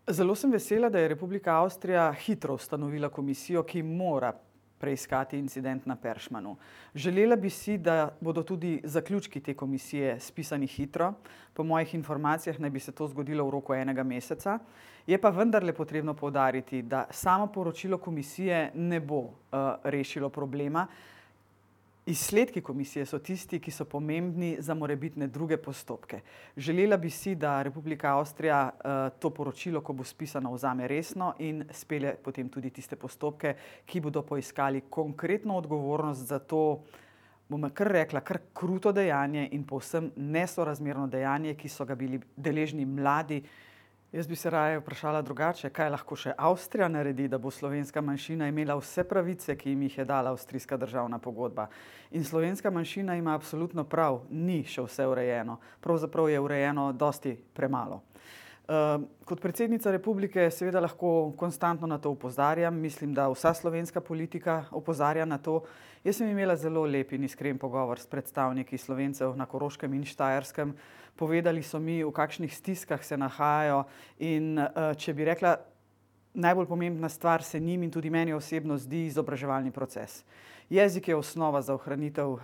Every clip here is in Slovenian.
Zelo sem vesela, da je Republika Avstrija hitro ustanovila komisijo, ki mora preiskati incident na Peršmanu. Želela bi si, da bodo tudi zaključki te komisije spisani hitro. Po mojih informacijah naj bi se to zgodilo v roku enega meseca. Je pa vendarle potrebno poudariti, da samo poročilo komisije ne bo rešilo problema. Izsledki komisije so tisti, ki so pomembni za morebitne druge postopke. Želela bi si, da Republika Avstrija to poročilo, ko bo spisano, vzame resno in spelje potem tudi tiste postopke, ki bodo poiskali konkretno odgovornost za to, bom kar rekla, kar kruto dejanje in povsem nesorazmerno dejanje, ki so ga bili deležni mladi. Jaz bi se raje vprašala drugače, kaj lahko še Avstrija naredi, da bo slovenska manjšina imela vse pravice, ki jim jih je dala avstrijska državna pogodba. In slovenska manjšina ima absolutno prav, ni še vse urejeno. Pravzaprav je urejeno dosti premalo. Kot predsednica republike seveda lahko konstantno na to opozarjam. Mislim, da vsa slovenska politika opozarja na to. Jaz sem imela zelo lep in iskren pogovor s predstavniki Slovencev na Koroškem in Štajerskem. Povedali so mi, v kakšnih stiskah se nahajajo in če bi rekla, najbolj pomembna stvar se njim in tudi meni osebno zdi izobraževalni proces. Jezik je osnova za ohranitev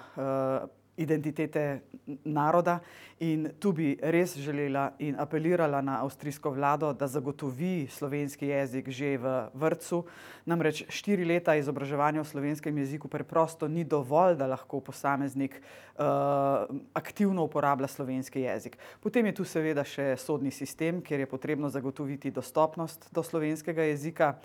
identitete naroda in tu bi res želela in apelirala na avstrijsko vlado, da zagotovi slovenski jezik že v vrtcu. Namreč 4 leta izobraževanja v slovenskem jeziku preprosto ni dovolj, da lahko posameznik aktivno uporablja slovenski jezik. Potem je tu seveda še sodni sistem, kjer je potrebno zagotoviti dostopnost do slovenskega jezika.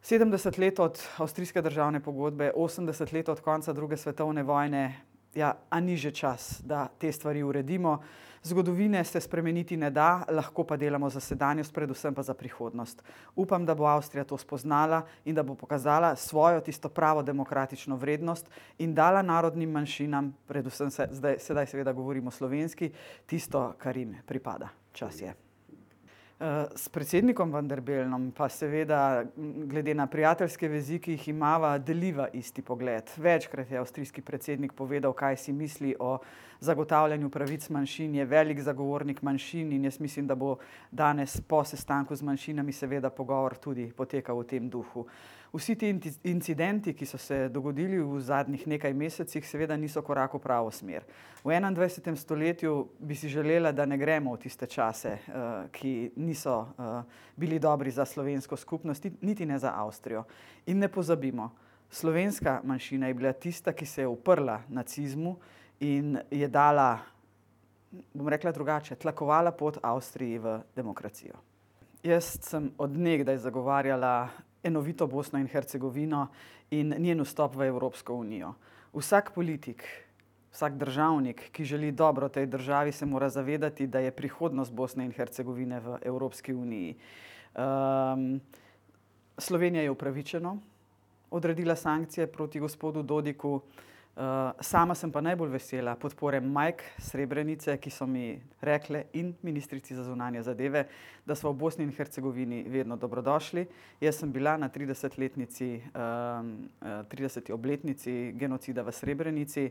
70 let od avstrijske državne pogodbe, 80 let od konca druge svetovne vojne. Ja, a ni že čas, da te stvari uredimo? Zgodovine se spremeniti ne da, lahko pa delamo za sedanjost, predvsem pa za prihodnost. Upam, da bo Avstrija to spoznala in da bo pokazala svojo tisto pravo demokratično vrednost in dala narodnim manjšinam, predvsem sedaj seveda govorimo slovenski, tisto, kar jim pripada. Čas je. S predsednikom van der Bellnom pa seveda glede na prijateljske vezi, ki jih imava, deliva isti pogled. Večkrat je avstrijski predsednik povedal, kaj si misli o zagotavljanju pravic manjšin, je velik zagovornik manjšin in jaz mislim, da bo danes po sestanku z manjšinami seveda pogovor tudi potekal v tem duhu. Vsi ti incidenti, ki so se dogodili v zadnjih nekaj mesecih, seveda niso korak v pravo smer. V 21. stoletju bi si želela, da ne gremo v tiste čase, ki niso bili dobri za slovensko skupnost, niti ne za Avstrijo. In ne pozabimo, slovenska manjšina je bila tista, ki se je uprla nacizmu in je dala, bom rekla drugače, tlakovala pot Avstriji v demokracijo. Jaz sem od nekdaj zagovarjala enovito Bosno in Hercegovino in njen vstop v Evropsko unijo. Vsak politik, vsak državnik, ki želi dobro tej državi, se mora zavedati, da je prihodnost Bosne in Hercegovine v Evropski uniji. Slovenija je upravičeno odredila sankcije proti gospodu Dodiku. Sama sem pa najbolj vesela podpore Majk Srebrenice, ki so mi rekle in ministrici za zunanje zadeve, da so v Bosni in Hercegovini vedno dobrodošli. Jaz sem bila na 30. obletnici genocida v Srebrenici